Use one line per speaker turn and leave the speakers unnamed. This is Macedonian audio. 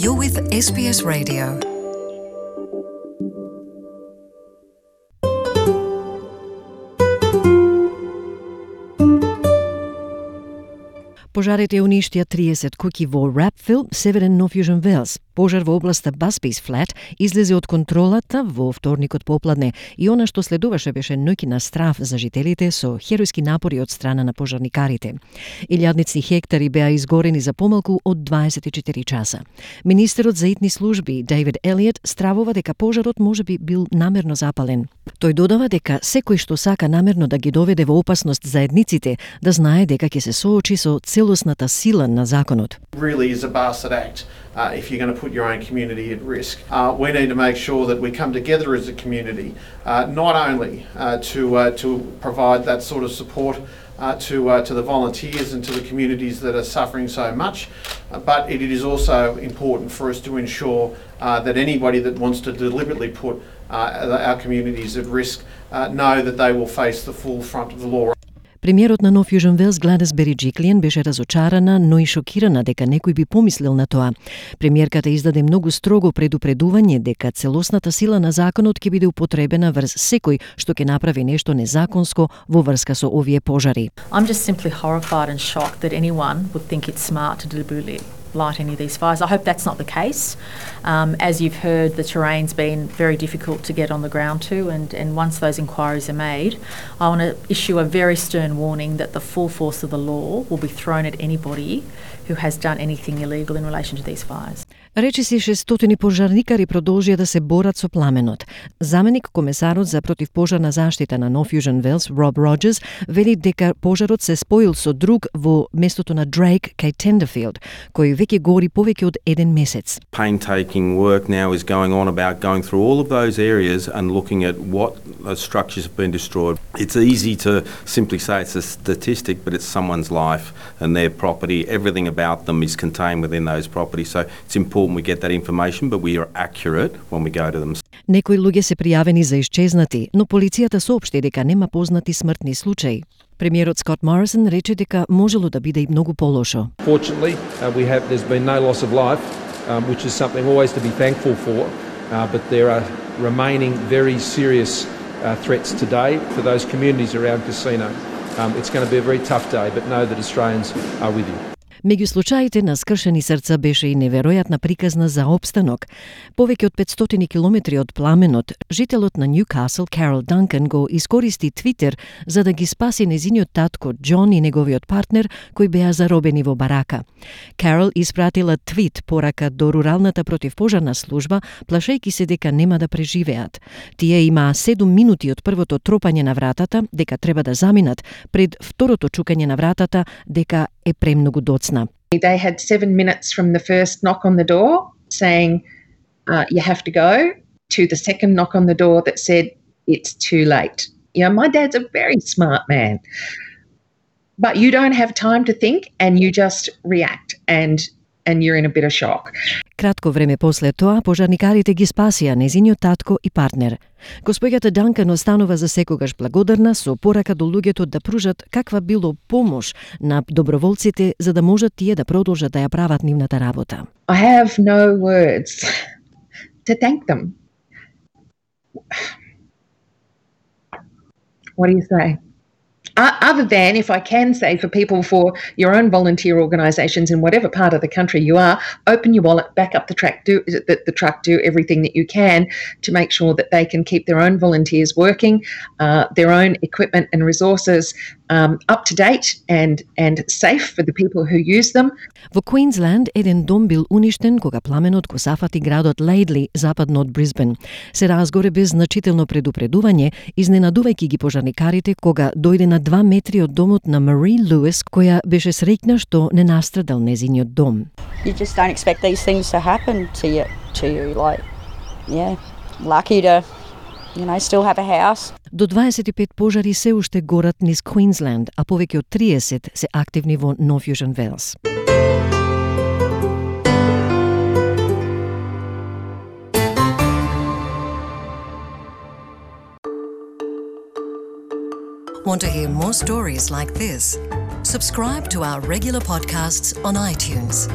You're with SBS Radio.
Пожарите уништија 30 куќи во Rapville, северен Нов Јужен Велс. Пожар во областа Busby's Flat излезе од контролата во вторникот попладне и она што следуваше беше ноќна страв за жителите со херојски напори од страна на пожарникарите. Илјадници хектари беа изгорени за помалку од 24 часа. Министерот за итни служби Дейвид Елиот стравува дека пожарот можеби бил намерно запален. Тој додава дека секој што сака намерно да ги доведе во опасност заедниците да знае дека ќе се соочи со целосната сила на законот.
Really is a bastard act if you're going to put your own community at risk. We need to make sure that we come together as a community, not only to provide that sort of support to the volunteers and to the communities that are suffering so much, but it is also important for us to ensure that anybody that wants to deliberately put our communities at risk know that they will face the full front of the law.
Премиерот на Нов Јужен Велс Гладис Бериџиклиен беше разочарана, но и шокирана дека некој би помислил на тоа. Премиерката издаде многу строго предупредување дека целосната сила на законот ќе биде употребена врз секој што ќе направи нешто незаконско во врска со овие пожари.
I'm just simply horrified and shocked that anyone would think it's smart to deliberately light any of these fires. I hope that's not the case. As you've heard, the terrain's been very difficult to get on the ground to, and once those inquiries are made, I want to issue a very stern warning that the full force of the law will be thrown at anybody who has done anything illegal in relation to these fires.
Речиси 600 пожарникари продолжија да се борат со пламенот. Заменик комесарот за противпожарна заштита на Нов Јужен Велс, Роб Роджерс, вели дека пожарот се споил со друг во местото на Дрейк кај Тендерфилд, кој веќе гори повеќе од 1 месец.
Painstaking work now is going on about going through all of those areas and looking at what structures have been destroyed. It's easy to simply say it's a statistic, but it's someone's life and their property. Everything about them is contained within those properties, so it's important we get that information, but we are accurate when we go to them.
Некои луѓе се пријавени за исчезнати, но полицијата соопшти дека нема познати смртни случаи. Премиерот Скот Морисон рече дека можело да биде и многу полошо.
Fortunately, there's been no loss of life, which is something always to be thankful for, but there are remaining very serious threats today for those communities around Casino. It's going to be a very tough day, but know that Australians are with you.
Меѓу случаите на скршени срца беше и неверојатна приказна за опстанок. Повеќе од 500 километри од пламенот, жителот на Ньюкасл, Карол Данкан, го искористи Твитер за да ги спаси незиниот татко Џон и неговиот партнер, кои беа заробени во барака. Карол испратила твит порака до руралната противпожарна служба, плашејќи се дека нема да преживеат. Тие имаа 7 минути од првото тропање на вратата, дека треба да заминат, пред второто чукање на вратата, дека е премногу доцна.
They had 7 minutes from the first knock on the door saying, you have to go, to the second knock on the door that said, it's too late. You know, my dad's a very smart man. But you don't have time to think and you just react and you're in a bit of shock.
Кратко време после тоа, пожарникарите ги спасија незиниот татко и партнер. Госпоѓата Данкан останува за секогаш благодарна со порака до луѓето да пружат каква било помош на доброволците за да можат тие да продолжат да ја прават нивната работа.
I have no words to thank them. What do you say? Other than, if I can say for people, for your own volunteer organisations in whatever part of the country you are, open your wallet, back up the truck, do everything that you can to make sure that they can keep their own volunteers working, their own equipment and resources up to date and safe for the people who use them.
Во Квинсленд еден дом бил уништен кога пламенот го зафати градот Лейдли, западно од Брисбен. Се разгоре без значително предупредување, изненадувајќи ги пожарникарите кога дојде на 2 метри од домот на Мари Луис, која беше среќна што не настрадал незиниот дом.
You just don't expect these things to happen to you. Like, yeah, lucky to, still have a house.
До 25 пожари се уште горат низ Квинсленд, а повеќе од 30 се активни во Нов Јужен Велс.
Want to hear more stories like this? Subscribe to our regular podcasts on iTunes.